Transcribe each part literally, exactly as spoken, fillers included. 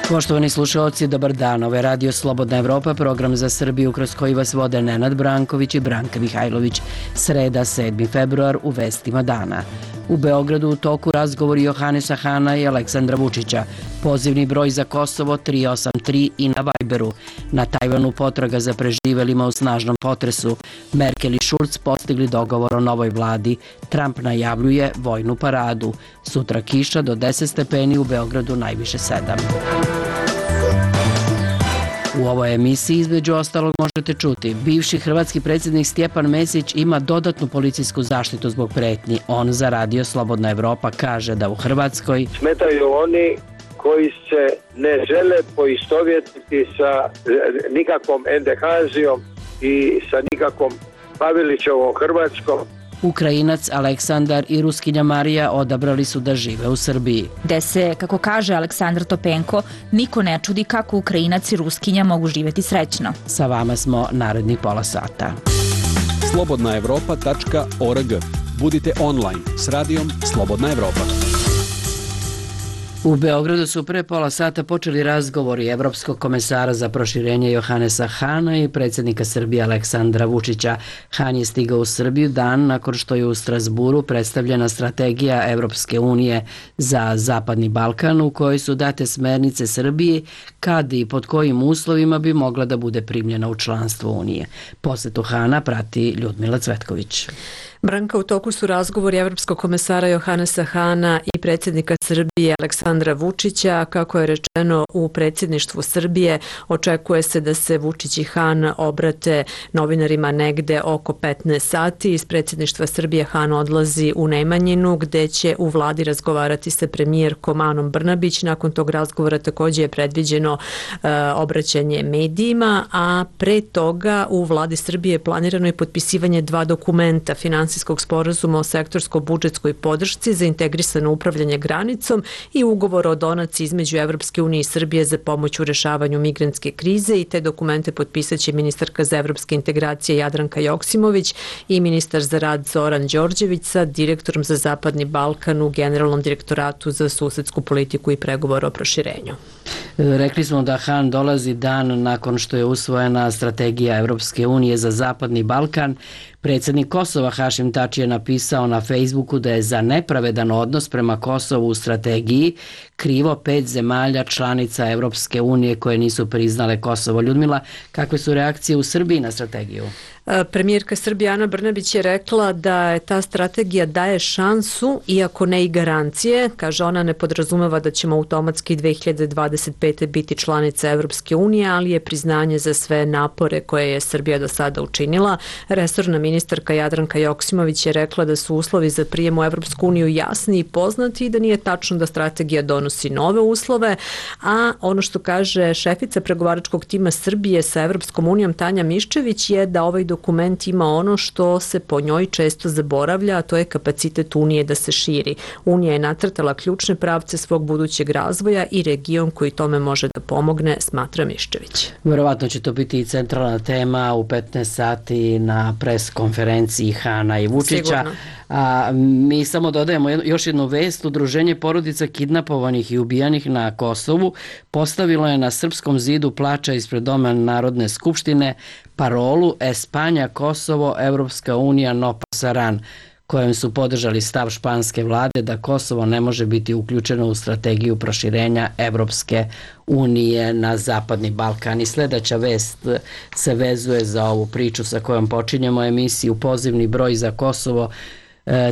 Poštovani slušalci, dobar dan. Ovo je Radio Slobodna Evropa, program za Srbiju kroz koji vas vode Nenad Branković i Branka Mihajlović. Sreda, sedmi februar, u vestima dana. U Beogradu u toku razgovori Johanesa Hana i Aleksandra Vučića. Pozivni broj za Kosovo tri osam tri i na Viberu. Na Tajvanu potraga za preživelima u snažnom potresu. Merkel i Šulc postigli dogovor o novoj vladi. Trump najavljuje vojnu paradu. Sutra kiša do deset stepeni, u Beogradu najviše sedam. U ovoj emisiji između ostalog možete čuti: bivši hrvatski predsjednik Stjepan Mesić ima dodatnu policijsku zaštitu zbog pretnji. On za Radio Slobodna Evropa kaže da u Hrvatskoj smetaju oni koji se ne žele poistovjetiti sa nikakvom Endehazijom i sa nikakvom Pavelićevom Hrvatskom. Ukrajinac Aleksandar i Ruskinja Marija odabrali su da žive u Srbiji. Gde se, kako kaže Aleksandar Topenko, niko ne čudi kako Ukrajinac i Ruskinja mogu živjeti srećno. Sa vama smo naredni pola sata. slobodna evropa tačka org. Budite online s radijom Slobodna Evropa. U Beogradu su pre pola sata počeli razgovori Evropskog komesara za proširenje Johanesa Hana i predsjednika Srbije Aleksandra Vučića. Han je stigao u Srbiju dan nakon što je u Strasburu predstavljena strategija Evropske unije za Zapadni Balkan, u kojoj su date smernice Srbiji kad i pod kojim uslovima bi mogla da bude primljena u članstvo Unije. Posetu Hana prati Ljudmila Cvetković. Branka, u toku su razgovori Evropskog komesara Johanesa Hana i predsjednika Srbije Aleksandra Vučića. Kako je rečeno u predsjedništvu Srbije, očekuje se da se Vučić i Han obrate novinarima negde oko petnaest sati. Iz predsjedništva Srbije Han odlazi u Nemanjinu, gde će u vladi razgovarati sa premijerkom Anom Brnabić. Nakon tog razgovora također je predviđeno e, obraćanje medijima, a pre toga u vladi Srbije je planirano i potpisivanje dva dokumenta: finansijskog sporazuma o sektorsko-budžetskoj podršci za integrisano upravljanje granicom i ugovor o donaciji između Evropske unije i Srbije za pomoć u rešavanju migrantske krize. I te dokumente potpisat će ministarka za evropske integracije Jadranka Joksimović i ministar za rad Zoran Đorđević sa direktorom za Zapadni Balkan u Generalnom direktoratu za susedsku politiku i pregovor o proširenju. Rekli smo da Han dolazi dan nakon što je usvojena strategija Evropske unije za Zapadni Balkan. Predsjednik Kosova Hašim Tači je napisao na Facebooku da je za nepravedan odnos prema Kosovu u strategiji krivo pet zemalja članica Evropske unije koje nisu priznale Kosovo. Ljudmila, kakve su reakcije u Srbiji na strategiju? Premijerka Srbije Ana Brnabić je rekla da je ta strategija daje šansu, iako ne i garancije. Kaže, ona ne podrazumeva da ćemo automatski dve hiljade dvadeset pete. biti članica Evropske unije, ali je priznanje za sve napore koje je Srbija do sada učinila. Resorna ministarka Jadranka Joksimović je rekla da su uslovi za prijem u Evropsku uniju jasni i poznati i da nije tačno da strategija donosi nove uslove, a ono što kaže šefica pregovaračkog tima Srbije sa Evropskom unijom Tanja Miščević je da ovaj dokument ima ono što se po njoj često zaboravlja, a to je kapacitet Unije da se širi. Unija je nacrtala ključne pravce svog budućeg razvoja i region koji tome može da pomogne, smatra Miščević. Vjerovatno će to biti i centralna tema u petnaest sati na pres konferenciji Hana i Vučića. Sigurno. A mi samo dodajemo još jednu vest. Udruženje porodica kidnapovanih i ubijanih na Kosovu postavilo je na Srpskom zidu plača ispred Doma Narodne skupštine parolu Espanja, Kosovo, Evropska unija, no pasaran, kojem su podržali stav španske vlade da Kosovo ne može biti uključeno u strategiju proširenja Evropske unije na Zapadni Balkan. I sljedeća vest se vezuje za ovu priču sa kojom počinjemo emisiju. Pozivni broj za Kosovo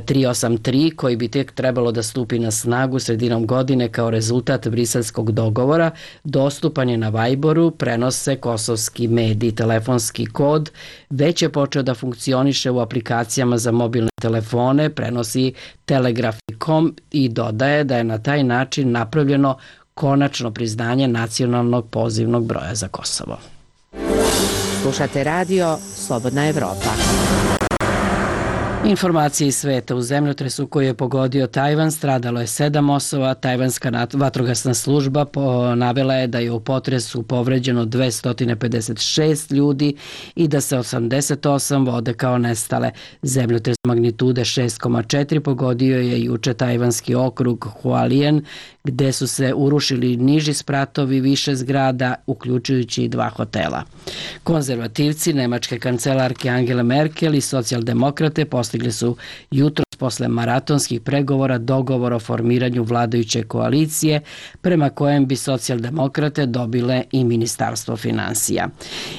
tri osam tri, koji bi tek trebalo da stupi na snagu sredinom godine kao rezultat briselskog dogovora, dostupan je na Viberu, prenose kosovski mediji. Telefonski kod već je počeo da funkcioniše u aplikacijama za mobilne telefone, prenosi Telegraf i kom i dodaje da je na taj način napravljeno konačno priznanje nacionalnog pozivnog broja za Kosovo. Slušate radio Slobodna Evropa. Informacije iz sveta. U zemljotresu koji je pogodio Tajvan stradalo je sedam osoba. Tajvanska vatrogasna služba navela je da je u potresu povređeno dvesta pedeset šest ljudi i da se osamdeset osam vode kao nestale. Zemljotres magnitude šest zarez četiri pogodio je juče tajvanski okrug Hualien, gde su se urušili niži spratovi više zgrada, uključujući i dva hotela. Konzervativci nemačke kancelarke Angele Merkel i socijaldemokrate postigli su jutro posle maratonskih pregovora dogovor o formiranju vladajuće koalicije, prema kojem bi socijaldemokrate dobile i ministarstvo finansija.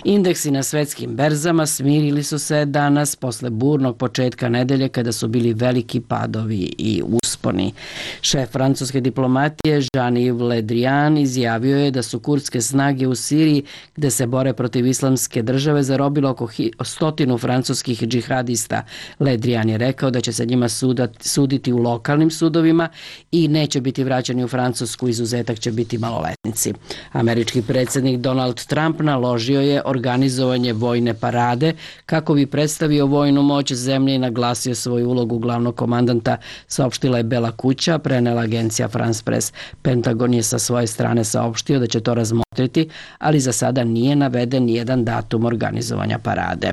Indeksi na svetskim berzama smirili su se danas posle burnog početka nedelje kada su bili veliki padovi i usponi. Šef francuske diplomatije Jean-Yves Le Drian izjavio je da su kurdske snage u Siriji, gde se bore protiv islamske države, zarobilo oko stotinu francuskih džihadista. Le Drian je rekao da će se njima suditi u lokalnim sudovima i neće biti vraćani u Francusku, izuzetak će biti maloletnici. Američki predsjednik Donald Trump naložio je organizovanje vojne parade kako bi predstavio vojnu moć zemlje i naglasio svoju ulogu glavnog komandanta, saopštila je Bela kuća, prenela agencija France Press. Pentagon je sa svoje strane saopštio da će to razmotriti, ali za sada nije naveden nijedan datum organizovanja parade.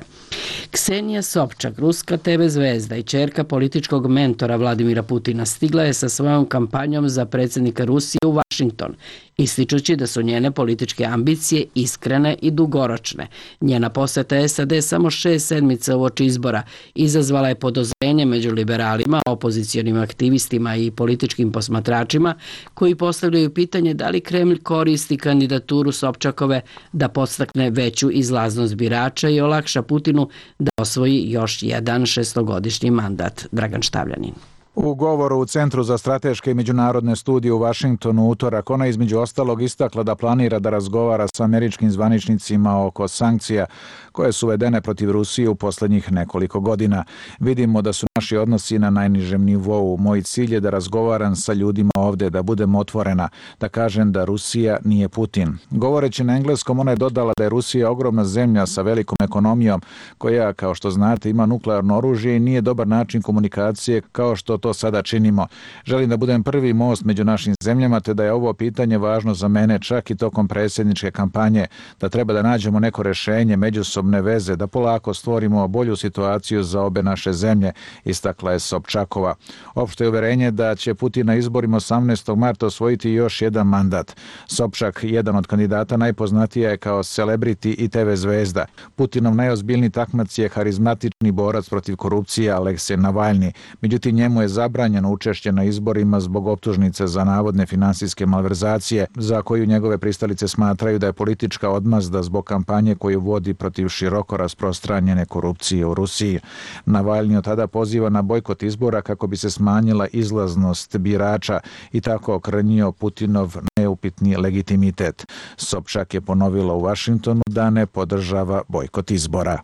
Ksenija Sobčak, ruska te ve zvezda i ćerka političkog mentora Vladimira Putina, stigla je sa svojom kampanjom za predsjednika Rusije u Vašington, ističući da su njene političke ambicije iskrene i dugoročne. Njena poseta es a de samo šest sedmica uoči izbora izazvala je podozrenje među liberalima, opozicionim aktivistima i političkim posmatračima koji postavljaju pitanje da li Kremlj koristi kandidaturu Sobčakove da podstakne veću izlaznost birača i olakša Putinu da osvoji još jedan šestogodišnji mandat. Dragan Štavljanin. U govoru u Centru za strateške i međunarodne studije u Vašingtonu utorak ona između ostalog istakla da planira da razgovara sa američkim zvaničnicima oko sankcija koje su uvedene protiv Rusije u poslednjih nekoliko godina. Vidimo da su naši odnosi na najnižem nivou. Moj cilj je da razgovaram sa ljudima ovde, da budem otvorena, da kažem da Rusija nije Putin. Govoreći na engleskom, ona je dodala da je Rusija ogromna zemlja sa velikom ekonomijom koja, kao što znate, ima nuklearno oružje i nije dobar način komunikacije kao što to sada činimo. Želim da budem prvi most među našim zemljama, te da je ovo pitanje važno za mene čak i tokom predsjedničke kampanje, da treba da nađemo neko rešenje, međusobne veze, da polako stvorimo bolju situaciju za obe naše zemlje, istakla je Sobčakova. Opšte je uverenje da će Putin na izborima osamnaestog marta osvojiti još jedan mandat. Sobčak, jedan od kandidata, najpoznatija je kao celebrity i te ve zvezda. Putinov najozbiljniji takmac je harizmatični borac protiv korupcije Aleksej Navalni. Međutim, njemu je zabranjeno učešće na izborima zbog optužnice za navodne finansijske malverzacije, za koju njegove pristalice smatraju da je politička odmazda zbog kampanje koju vodi protiv široko rasprostranjene korupcije u Rusiji. Navalni od tada poziva na bojkot izbora kako bi se smanjila izlaznost birača i tako okrnjio Putinov neupitni legitimitet. Sobčak je ponovila u Vašingtonu da ne podržava bojkot izbora.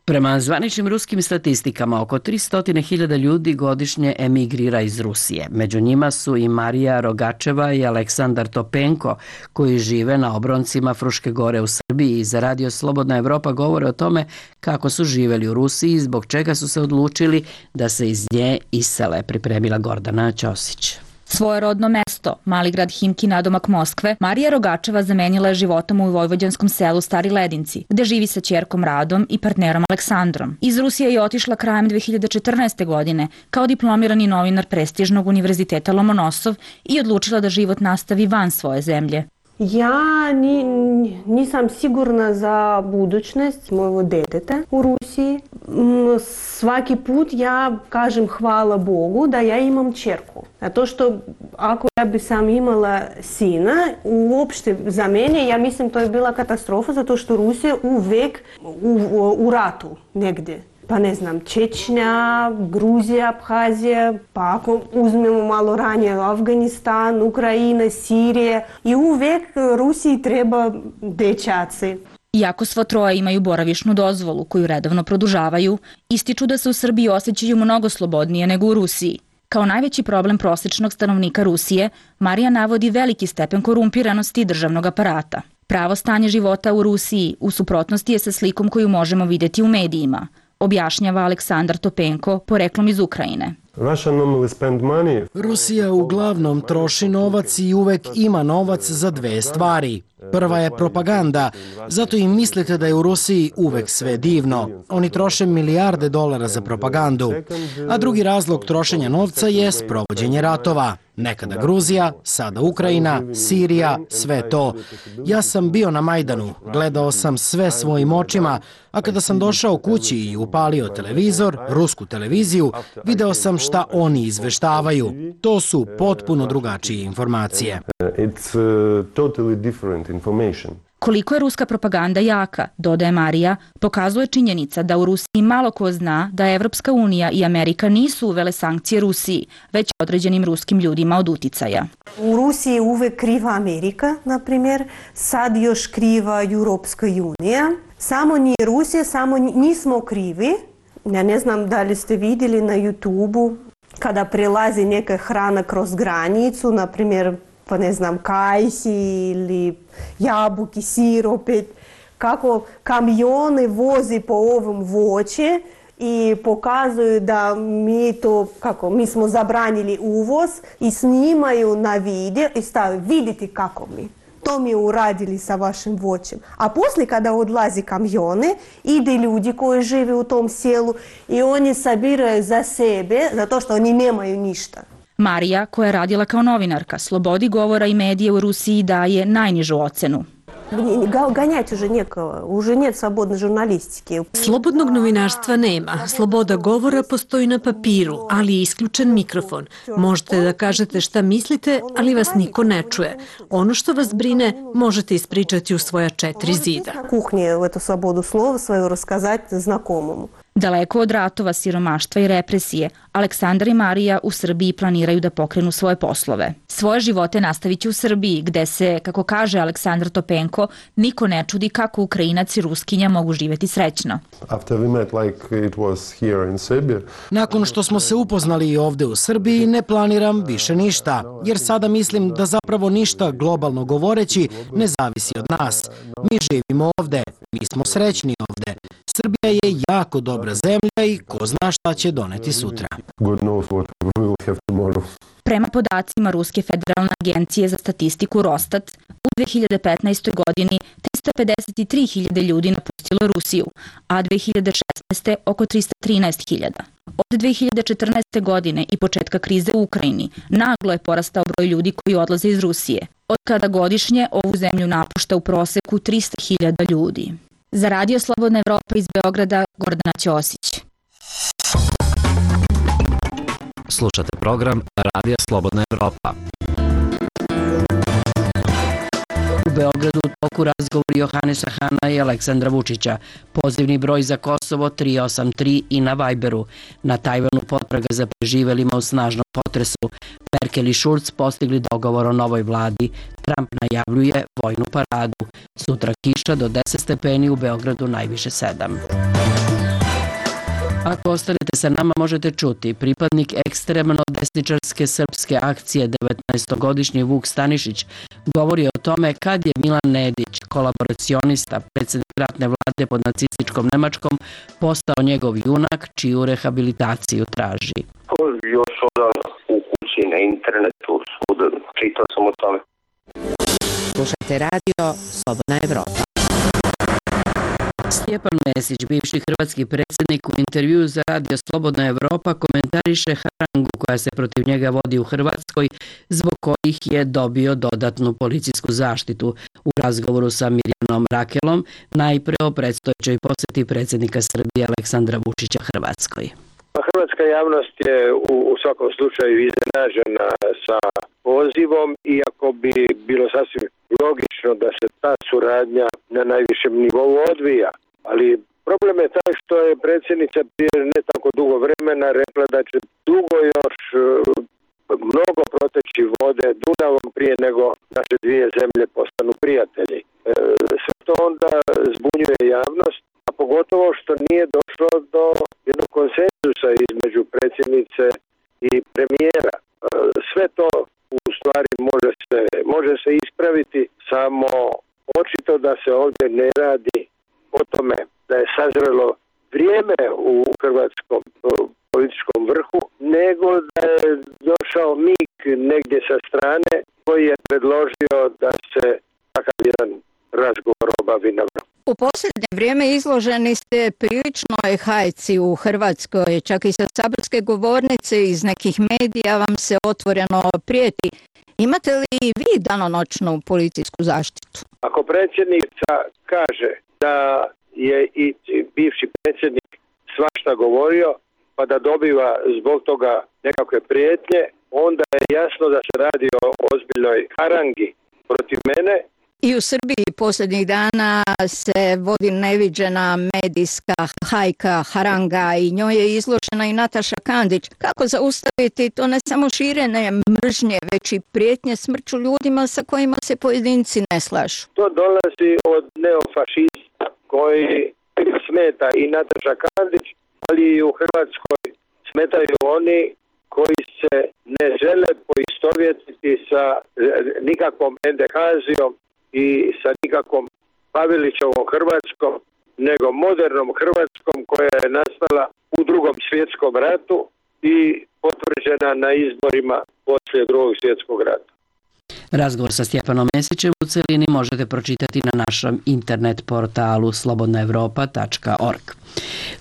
Prema zvaničnim ruskim statistikama, oko tristo hiljada ljudi godišnje emigrira iz Rusije. Među njima su i Marija Rogačeva i Aleksandar Topenko, koji žive na obroncima Fruške gore u Srbiji i za Radio Slobodna Evropa govore o tome kako su živeli u Rusiji i zbog čega su se odlučili da se iz nje isele, pripremila Gordana Ćosić. Svoje rodno mesto, mali grad Himki nadomak Moskve, Marija Rogačeva zamenila je životom u vojvođanskom selu Stari Ledinci, gde živi sa ćerkom Radom i partnerom Aleksandrom. Iz Rusije je otišla krajem dve hiljade četrnaeste. godine kao diplomirani novinar prestižnog univerziteta Lomonosov i odlučila da život nastavi van svoje zemlje. Ja ni, nisam sigurna za budućnost mojeg deteta u Rusiji. Svaki put ja kažem hvala Bogu da ja imam ćerku. Zato što ako ja bi sam imala sina, uopšte za mene, ja mislim to je bila katastrofa zato što Rusija uvek u, u, u ratu negdje. Pa ne znam, Čečnja, Gruzija, Abhazija, pa ako uzmemo malo ranije Afganistan, Ukrajina, Sirija i uvek Rusiji treba dečaci. Iako svo troje imaju boravišnu dozvolu koju redovno produžavaju, ističu da se u Srbiji osjećaju mnogo slobodnije nego u Rusiji. Kao najveći problem prosječnog stanovnika Rusije, Marija navodi veliki stepen korumpiranosti državnog aparata. Pravo stanje života u Rusiji u suprotnosti je sa slikom koju možemo vidjeti u medijima. objašnjava Aleksandar Topenko, poreklom iz Ukrajine. Rusija uglavnom troši novac i uvek ima novac za dve stvari. Prva je propaganda, zato i mislite da je u Rusiji uvek sve divno. Oni troše milijarde dolara za propagandu. A drugi razlog trošenja novca je sprovođenje ratova. Nekada Gruzija, sada Ukrajina, Sirija, sve to. Ja sam bio na Majdanu, gledao sam sve svojim očima, a kada sam došao kući i upalio televizor, rusku televiziju, video sam šta oni izveštavaju. To su potpuno drugačije informacije. Koliko je ruska propaganda jaka, dodaje Marija, pokazuje činjenica da u Rusiji malo ko zna da Evropska unija i Amerika nisu uvele sankcije Rusiji, već određenim ruskim ljudima od uticaja. U Rusiji je uvek kriva Amerika, na primjer, sad još kriva Europska unija. Samo nije Rusija, samo nismo krivi. Ja ne znam da li ste vidjeli na YouTube-u kada prelazi neka hrana kroz granicu, na primjer, pa ne znam, kajsi ili jabuki, sir opet, kako kamione vozi po ovom voće i pokazuju da mi to, kako, mi smo zabranili uvoz i snimaju na video i stavaju, vidite kako mi. To mi uradili sa vašim voćem. A poslije kada odlazi kamione, ide ljudi koji žive u tom selu i oni sabiraju za sebe, zato što oni nemaju ništa. Marija, koja je radila kao novinarka, slobodi govora i medije u Rusiji daje najnižu ocenu. Ganjati уже некого, уже нет slobodne žurnalistike. Slobodnog novinarstva nema. Sloboda govora postoji na papiru, ali je isključen mikrofon. Možete da kažete šta mislite, ali vas niko ne čuje. Ono što vas brine možete ispričati u svoja četiri zida. Na kuhnji эту slobodu slova svoju raskazati znakomomu. Daleko od ratova, siromaštva i represije, Aleksandar i Marija u Srbiji planiraju da pokrenu svoje poslove. Svoje živote nastavit će u Srbiji, gde se, kako kaže Aleksandar Topenko, niko ne čudi kako Ukrajinac i Ruskinja mogu živjeti srećno. Nakon što smo se upoznali i ovde u Srbiji, ne planiram više ništa, jer sada mislim da zapravo ništa, globalno govoreći, ne zavisi od nas. Mi živimo ovde, mi smo srećni ovde. Srbija je jako dobra zemlja i ko zna šta će doneti sutra. Prema podacima Ruske federalne agencije za statistiku Rostat, u dve hiljade petnaestoj. godini trista pedeset tri hiljade ljudi napustilo Rusiju, a dve hiljade šesnaeste. oko trista trinaest hiljada. Od dve hiljade četrnaeste. godine i početka krize u Ukrajini naglo je porastao broj ljudi koji odlaze iz Rusije, od kada godišnje ovu zemlju napušta u proseku trista hiljada ljudi. Za Radio Slobodna Evropa iz Beograda, Gordana Ćosić. Slušate program Radija Slobodna Evropa. U Beogradu u toku razgovori Johanesa Hana i Aleksandra Vučića. Pozivni broj za Kosovo tri osam tri i na Viberu. Na Tajvanu potraga za preživelima u snažnom potresu. Merkel i Schulz postigli dogovor o novoj vladi. Trump najavljuje vojnu paradu. Sutra kiša do deset stepeni, u Beogradu najviše sedam. Ako ostanete sa nama, možete čuti pripadnik ekstremno desničarske srpske akcije devetnaestogodišnji Vuk Stanišić govori o tome kad je Milan Nedić, kolaboracionista, predsjednik ratne vlade pod nacističkom Nemačkom, postao njegov junak čiju rehabilitaciju traži. Još onda u kući, na internetu, svuda, čitao sam o tome. Slušajte radio Slobodna Evropa. Stjepan Mesić, bivši hrvatski predsjednik, u intervjuu za Radio Slobodna Evropa komentariše harangu koja se protiv njega vodi u Hrvatskoj, zbog kojih je dobio dodatnu policijsku zaštitu. U razgovoru sa Mirjanom Rakelom najpre o predstojećoj posjeti predsjednika Srbije Aleksandra Vučića Hrvatskoj. Hrvatska javnost je u, u svakom slučaju iznenađena sa pozivom, iako bi bilo sasvim logično da se ta suradnja na najvišem nivou odvija. Ali problem je taj što je predsjednica prije ne tako dugo vremena rekla da će dugo još mnogo proteći vode Dunavom prije nego naše dvije zemlje postanu prijatelji. E, sve to onda zbunjuje javnost, a pogotovo što nije došlo do jednog konsenzusa između predsjednice i premijera. E, sve to u stvari može se, može se ispraviti, samo očito da se ovdje ne radi o tome da je sazrelo vrijeme u hrvatskom političkom vrhu, nego da je došao mig negdje sa strane koji je predložio da se takav jedan razgovor obavi na vrhu. U posljednje vrijeme izloženi ste priličnoj hajci u Hrvatskoj, čak i sa saborske govornice, iz nekih medija vam se otvoreno prijeti. Imate li i vi danonoćnu policijsku zaštitu? Ako predsjednica kaže da je i bivši predsjednik svašta govorio, pa da dobiva zbog toga nekakve prijetnje, onda je jasno da se radi o ozbiljnoj harangi protiv mene. I u Srbiji posljednjih dana se vodi neviđena medijska hajka, haranga i njoj je izložena i Nataša Kandić. Kako zaustaviti to ne samo širenje mržnje, već i prijetnje smrću ljudima sa kojima se pojedinci ne slažu? To dolazi od neofašista koji smeta i Nataša Kandić, ali i u Hrvatskoj smetaju oni koji se ne žele poistovjetiti sa nikakvom endekazijom i sa nikakvom Pavelićevom Hrvatskom, nego modernom Hrvatskom koja je nastala u Drugom svjetskom ratu i potvrđena na izborima poslije Drugog svjetskog rata. Razgovor sa Stjepanom Mesićem u celini možete pročitati na našem internet portalu slobodna evropa tačka org.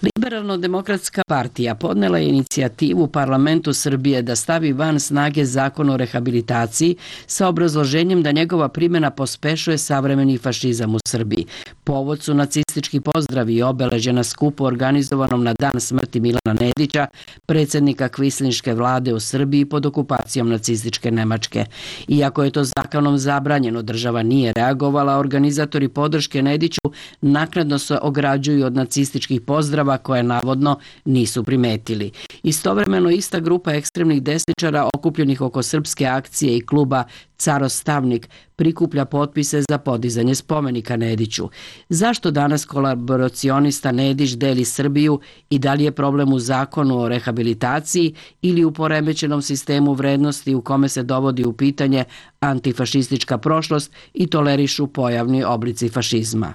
Liberalno-demokratska partija podnela je inicijativu Parlamentu Srbije da stavi van snage zakon o rehabilitaciji sa obrazloženjem da njegova primjena pospešuje savremeni fašizam u Srbiji. Povod su nacistički pozdravi i obeležje na skupu organizovanom na dan smrti Milana Nedića, predsjednika kvislinške vlade u Srbiji pod okupacijom nacističke Nemačke. Iako je to zakonom zabranjeno, država nije reagovala, organizatori podrške Nediću naknadno se ograđuju od nacističkih pozdrava koje navodno nisu primetili. Istovremeno ista grupa ekstremnih desničara okupljenih oko srpske akcije i kluba Carostavnik prikuplja potpise za podizanje spomenika Nediću. Zašto danas kolaboracionista Nedić deli Srbiju i da li je problem u zakonu o rehabilitaciji ili u poremećenom sistemu vrednosti u kome se dovodi u pitanje antifašistička prošlost i tolerišu pojavni oblici fašizma?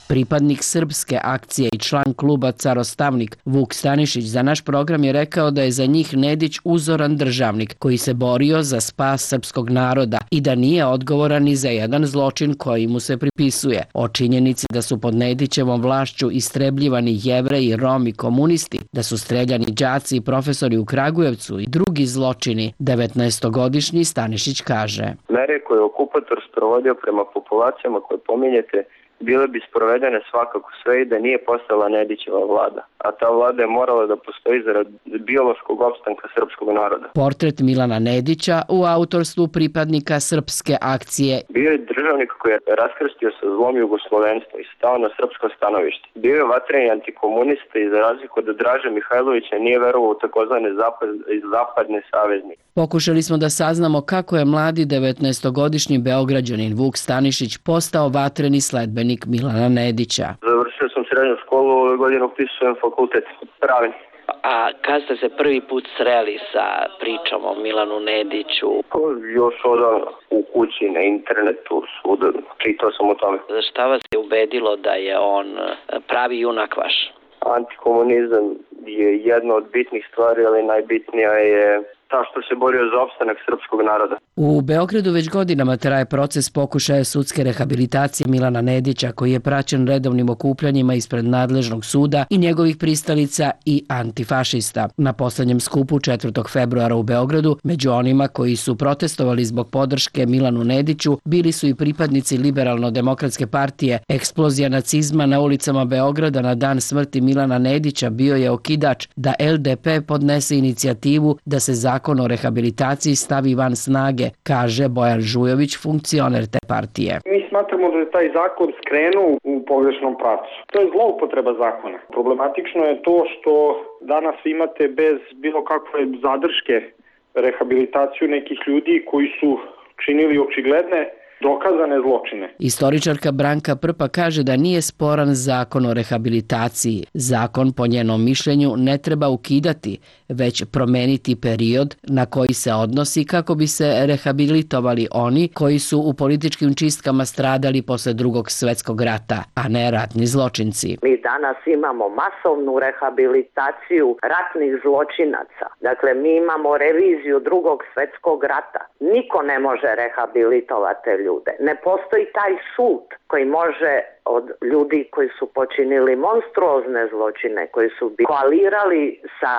Pripadnik srpske akcije i član kluba Carostavnik Vuk Stanišić za naš program je rekao da je za njih Nedić uzoran državnik koji se borio za spas srpskog naroda i da nije odgovoran ni za jedan zločin koji mu se pripisuje. O činjenici da su pod Nedićevom vlašću istrebljivani Jevreji, Romi, komunisti, da su streljani đaci i profesori u Kragujevcu i drugi zločini, devetnaestogodišnji Stanišić kaže. Mere koje je okupator sprovodio prema populacijama koje pominjete bile bi sprovedene svakako sve i da nije postala Nedićeva vlada, a ta vlada je morala da postoji zarad biološkog opstanka srpskog naroda. Portret Milana Nedića u autorstvu pripadnika srpske akcije. Bio je državnik koji je raskrstio sa zlom jugoslovenstva i stao na srpsko stanovište. Bio je vatreni antikomunista i za razliku od Draže Mihajlovića nije verovao u takozvane zapad, zapadne saveznike. Pokušali smo da saznamo kako je mladi devetnaestogodišnji Beograđanin Vuk Stanišić postao vatreni sledbenik Milana Nedića. Završio sam srednju školu, ove godine upisujem fakultet pravni. A kad ste se prvi put sreli sa pričom o Milanu Nediću? Još odavno u kući, na internetu, svuda, čitao sam o tome. Šta vas je ubedilo da je on pravi junak vaš? Antikomunizam je jedna od bitnih stvari, ali najbitnija je ta što se borio za opstanak srpskog naroda. U Beogradu već godinama traje proces pokušaja sudske rehabilitacije Milana Nedića, koji je praćen redovnim okupljanjima ispred nadležnog suda i njegovih pristalica i antifašista. Na poslednjem skupu četvrtog februara u Beogradu, među onima koji su protestovali zbog podrške Milanu Nediću, bili su i pripadnici Liberalno-demokratske partije. Eksplozija nacizma na ulicama Beograda na dan smrti Milana Nedića bio je okidač da el de pe podnese inicijativu da se zakon o rehabilitaciji stavi van snage, kaže Bojan Žujović, funkcioner te partije. Mi smatramo da je taj zakon skrenuo u pogrešnom pravcu. To je zloupotreba zakona. Problematično je to što danas imate bez bilo kakve zadrške rehabilitaciju nekih ljudi koji su činili očigledne dokazane zločine. Istoričarka Branka Prpa kaže da nije sporan zakon o rehabilitaciji. Zakon, po njenom mišljenju, ne treba ukidati, već promeniti period na koji se odnosi kako bi se rehabilitovali oni koji su u političkim čistkama stradali posle drugog svetskog rata, a ne ratni zločinci. Mi danas imamo masovnu rehabilitaciju ratnih zločinaca. Dakle, mi imamo reviziju drugog svetskog rata. Niko ne može rehabilitovati te ljude. Ne postoji taj sud koji može od ljudi koji su počinili monstruozne zločine, koji su koalirali sa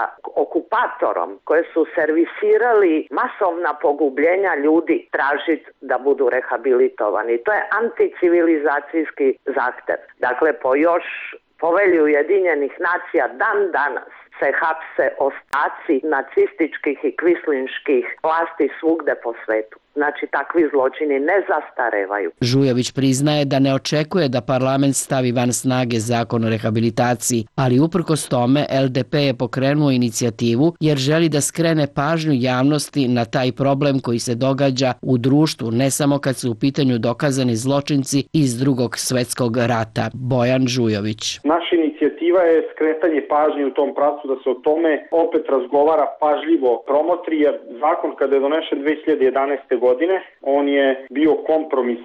okupatorom, koji su servisirali masovna pogubljenja ljudi, tražiti da budu rehabilitovani. To je anticivilizacijski zahtev. Dakle, po još Povelji Ujedinjenih nacija dan danas se hapse ostaci nacističkih i kvislinških vlasti svugde po svetu. Znači, takvi zločini ne zastarevaju. Žujović priznaje da ne očekuje da parlament stavi van snage zakon o rehabilitaciji, ali uprkos tome L D P je pokrenuo inicijativu jer želi da skrene pažnju javnosti na taj problem koji se događa u društvu, ne samo kad su u pitanju dokazani zločinci iz drugog svetskog rata. Bojan Žujović. Naša inicijativa je skretanje pažnje u tom pravcu da se o tome opet razgovara, pažljivo promotri, jer zakon kada je donešen dve hiljade jedanaeste. godine, on je bio kompromis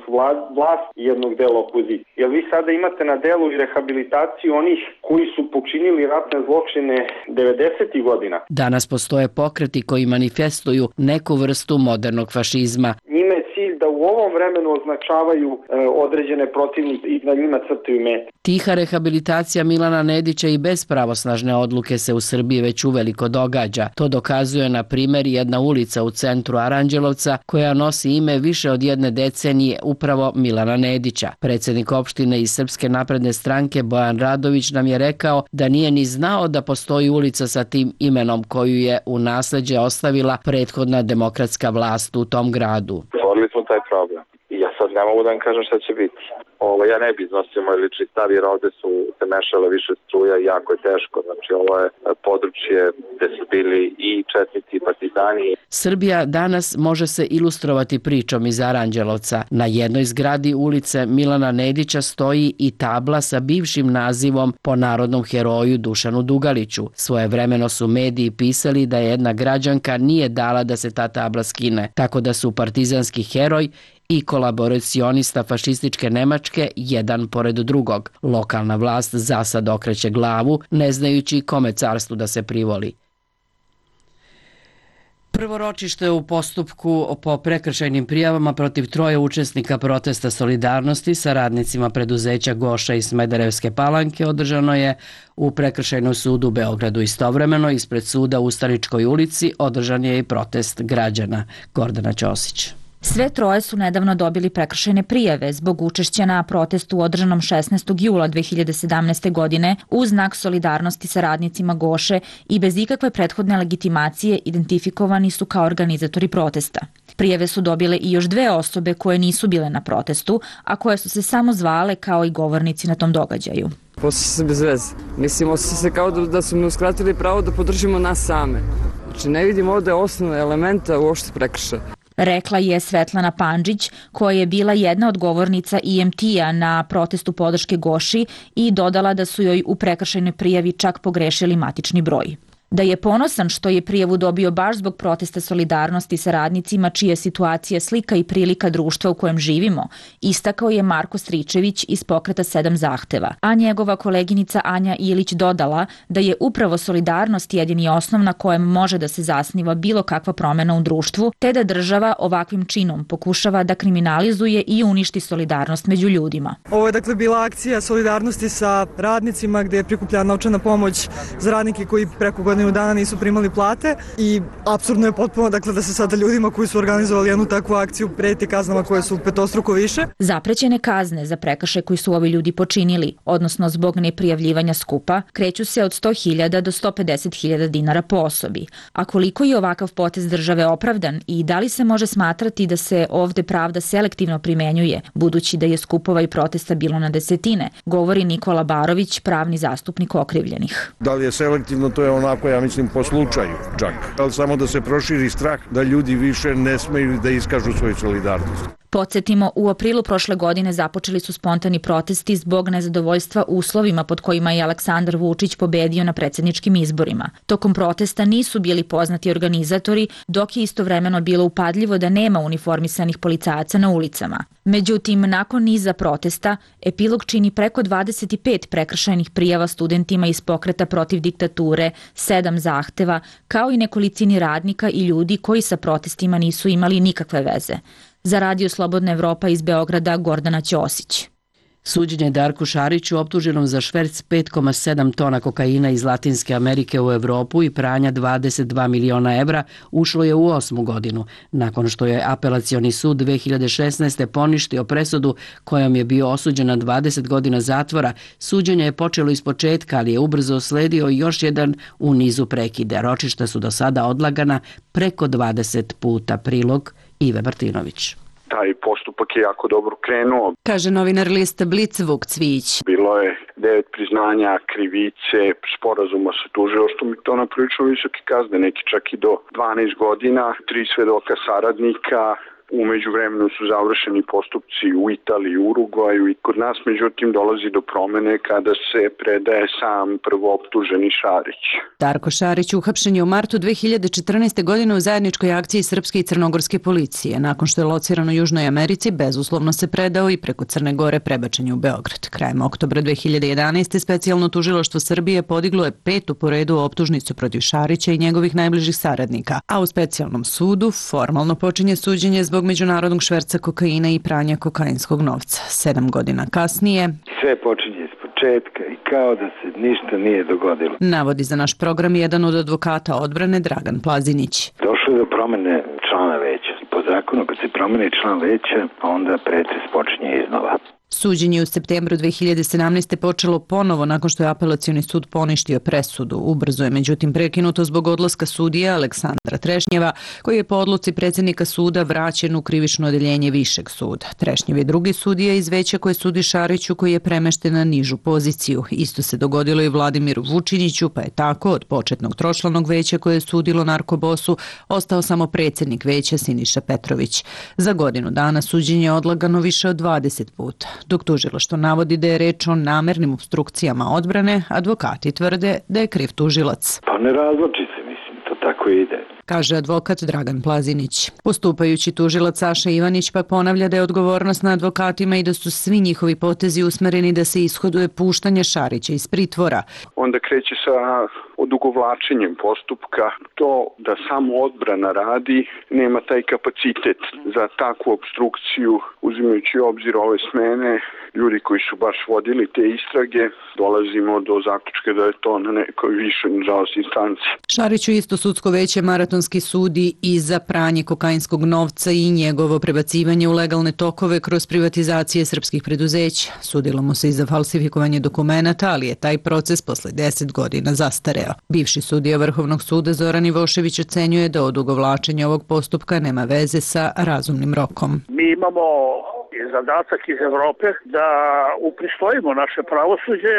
vlast jednog dela opozicije. Jer vi sada imate na delu i rehabilitaciju onih koji su počinili ratne zločine devedesetih godina. Danas postoje pokreti koji manifestuju neku vrstu modernog fašizma. Njime je cilj da u ovom vremenu označavaju e, određene protivnike i na njima crtaju mete. Tiha rehabilitacija Milana Nedića i bez pravosnažne odluke se u Srbiji već uveliko događa. To dokazuje, na primjer, jedna ulica u centru Aranđelovca koja nosi ime više od jedne decenije upravo Milana Nedića. Predsjednik opštine iz Srpske napredne stranke Bojan Radović nam je rekao da nije ni znao da postoji ulica sa tim imenom koju je u nasleđe ostavila prethodna demokratska vlast u tom gradu. Otvorili smo taj problem i ja sad ne mogu da vam kažem šta će biti. Ovo, ja ne bi iznosio moj lični stav jer ovde su se mešale više struja i jako je teško. Znači ovo je područje gde su bili i četnici i partizani. Srbija danas može se ilustrovati pričom iz Aranđelovca. Na jednoj zgradi ulice Milana Nedića stoji i tabla sa bivšim nazivom po narodnom heroju Dušanu Dugaliću. Svojevremeno su mediji pisali da jedna građanka nije dala da se ta tabla skine, tako da su partizanski heroj i kolaboracionista fašističke Nemačke jedan pored drugog. Lokalna vlast zasad okreće glavu, ne znajući kome carstvu da se privoli. Prvo ročište u postupku po prekršajnim prijavama protiv troje učesnika protesta solidarnosti sa radnicima preduzeća Goša i Smederevske Palanke održano je u Prekršajnom sudu u Beogradu. Istovremeno ispred suda u Staričkoj ulici održan je i protest građana. Gordana Ćosić. Sve troje su nedavno dobili prekršajne prijave zbog učešća na protestu održanom šesnaestog jula dve hiljade sedamnaeste. godine u znak solidarnosti sa radnicima Goše i bez ikakve prethodne legitimacije identifikovani su kao organizatori protesta. Prijave su dobile i još dve osobe koje nisu bile na protestu, a koje su se samo zvale kao i govornici na tom događaju. Posle se bez veze. Mislim, osjeća se kao da, da su mi uskratili pravo da podržimo nas same. Znači, ne vidim ovde osnovne elementa uopšte prekršaja. Rekla je Svetlana Pandžić, koja je bila jedna od govornica I M T-a na protestu podrške Goši i dodala da su joj u prekršajnoj prijavi čak pogrešili matični broj. Da je ponosan što je prijavu dobio baš zbog protesta solidarnosti sa radnicima čija situacija slika i prilika društva u kojem živimo, istakao je Marko Stričević iz pokreta Sedam zahteva, a njegova koleginica Anja Ilić dodala da je upravo solidarnost jedini osnov na kojem može da se zasniva bilo kakva promena u društvu, te da država ovakvim činom pokušava da kriminalizuje i uništi solidarnost među ljudima. Ovo je dakle bila akcija solidarnosti sa radnicima gde je prikupljena novčana pomoć za radnike koji preko godine dana nisu primali plate i apsurdno je potpuno dakle da se sada ljudima koji su organizovali jednu takvu akciju preti kaznama koje su petostruko više. Zaprećene kazne za prekršaj koji su ovi ljudi počinili, odnosno zbog neprijavljivanja skupa, kreću se od sto hiljada do sto pedeset hiljada dinara po osobi. A koliko je ovakav potez države opravdan i da li se može smatrati da se ovde pravda selektivno primenjuje, budući da je skupova i protesta bilo na desetine, govori Nikola Barović, pravni zastupnik okrivljenih. Da li je selektivno, to je onako, ja mislim, po slučaju čak. Ali samo da se proširi strah da ljudi više ne smeju da iskažu svoju solidarnost. Podsjetimo, u aprilu prošle godine započeli su spontani protesti zbog nezadovoljstva uslovima pod kojima je Aleksandar Vučić pobedio na predsjedničkim izborima. Tokom protesta nisu bili poznati organizatori, dok je istovremeno bilo upadljivo da nema uniformisanih policajaca na ulicama. Međutim, nakon niza protesta, epilog čini preko dvadeset pet prekršajnih prijava studentima iz pokreta protiv diktature, sedam zahteva, kao i nekolicini radnika i ljudi koji sa protestima nisu imali nikakve veze. Za Radio Slobodna Evropa iz Beograda, Gordana Ćosić. Suđenje Darku Šariću, optuženom za šverc pet zarez sedam tona kokaina iz Latinske Amerike u Evropu i pranja dvadeset dva miliona evra, ušlo je u osmu godinu, nakon što je apelacioni sud dve hiljade šesnaeste. poništio presudu kojom je bio osuđen na dvadeset godina zatvora. Suđenje je počelo ispočetka, ali je ubrzo sledio još jedan u nizu prekide. Ročišta su do sada odlagana preko dvadeset puta. Prilog Ive Martinović. Taj postupak je jako dobro krenuo. Kaže novinar lista Blic Vuk Cvijić. Bilo je devet priznanja krivice, sporazuma sa tužilaštvom i to na prilično visoke kazne, neki čak i do dvanaest godina, tri svedoka saradnika. U međuvremenu su završeni postupci u Italiji i Urugvaju i kod nas međutim dolazi do promene kada se predaje sam prvooptuženi Šarić. Darko Šarić uhapšen je u martu dve hiljade četrnaeste. godine u zajedničkoj akciji srpske i crnogorske policije. Nakon što je lociran u Južnoj Americi, bezuslovno se predao i preko Crne Gore prebačen je u Beograd. Krajem oktobra dve hiljade jedanaeste. specijalno tužilaštvo Srbije podiglo je petu po redu optužnicu protiv Šarića i njegovih najbližih saradnika, a u specijalnom sudu formalno počinje suđenje zbog međunarodnog šverca kokaina i pranja kokainskog novca. Sedam godina kasnije sve počinje iz početka i kao da se ništa nije dogodilo. Navodi za naš program jedan od advokata odbrane Dragan Plazinić. Došlo je do promene člana veća. Po zakonu kad se promeni član veća, onda pretres počinje iznova. Suđenje u septembru dve hiljade sedamnaeste. počelo ponovo nakon što je apelacioni sud poništio presudu. Ubrzo je međutim prekinuto zbog odlaska sudija Aleksandra Trešnjeva, koji je po odluci predsjednika suda vraćen u krivično odeljenje Višeg suda. Trešnjev je drugi sudija iz veća koje sudi Šariću, koji je premešten na nižu poziciju. Isto se dogodilo i Vladimiru Vučiniću, pa je tako od početnog tročlanog veća koje je sudilo narkobosu ostao samo predsjednik veća Siniša Petrović. Za godinu dana suđenje je odlagano više od dvadeset puta. Dok tužilaštvo navodi da je reč o namernim obstrukcijama odbrane, advokati tvrde da je kriv tužilac. Pa ne razloči se, mislim, to tako ide. Kaže advokat Dragan Plazinić. Postupajući tužilac Saša Ivanić pa ponavlja da je odgovornost na advokatima i da su svi njihovi potezi usmereni da se ishoduje puštanje Šarića iz pritvora. Onda kreće sa odugovlačenjem postupka. To da samo odbrana radi nema taj kapacitet za takvu obstrukciju, uzimajući u obzir ove smene. Ljudi koji su baš vodili te istrage, dolazimo do zaključka da je to na nekoj višoj, nažalost, instanci. Šariću isto sudsko veće Maratonski sudi i za pranje kokainskog novca i njegovo prebacivanje u legalne tokove kroz privatizacije srpskih preduzeća. Sudilo mu se i za falsifikovanje dokumenata, ali je taj proces posle deset godina zastareo. Bivši sudija Vrhovnog suda Zoran Ivošević ocenjuje da odugovlačenje ovog postupka nema veze sa razumnim rokom. Mi imamo zadatak iz Evrope da upristojimo naše pravosuđe,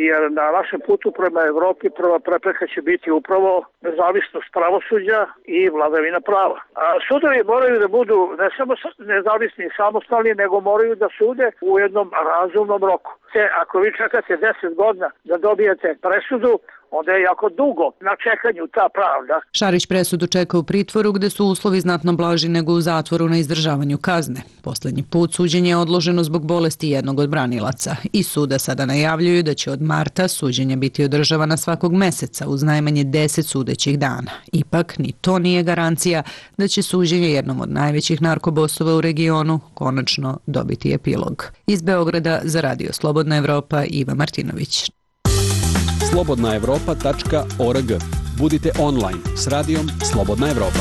jer na našem putu prema Evropi prva prepreka će biti upravo nezavisnost pravosuđa i vladavina prava. A sudovi moraju da budu ne samo nezavisni i samostalni, nego moraju da sude u jednom razumnom roku. Te, ako vi čekate deset godina da dobijete presudu, onda je jako dugo na čekanju ta pravda. Šarić presudu čeka u pritvoru gde su uslovi znatno blaži nego u zatvoru na izdržavanju kazne. Poslednji put suđenje je odloženo zbog bolesti jednog od branilaca i suda sada najavljuju da će od marta suđenje biti održavana svakog meseca uz najmanje deset sudećih dana. Ipak ni to nije garancija da će suđenje jednom od najvećih narkobosova u regionu konačno dobiti epilog. Iz Beograda za Radio Slobodna Evropa, Iva Martinović. slobodna evropa tačka org. Budite online s radijom Slobodna Evropa.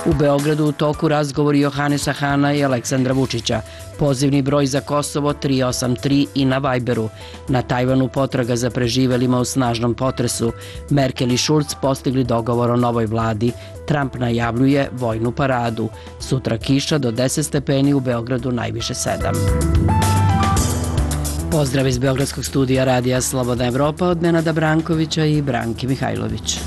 U Beogradu u toku razgovori Johanesa Hana i Aleksandra Vučića. Pozivni broj za Kosovo tri osam tri i na Vajberu. Na Tajvanu potraga za preživelima u snažnom potresu. Merkel i Šulc postigli dogovor o novoj vladi. Trump najavljuje vojnu paradu. Sutra kiša do deset stepeni, u Beogradu najviše sedam. Pozdrav iz Beogradskog studija Radija Slobodna Evropa od Nenada Brankovića i Branki Mihajlović.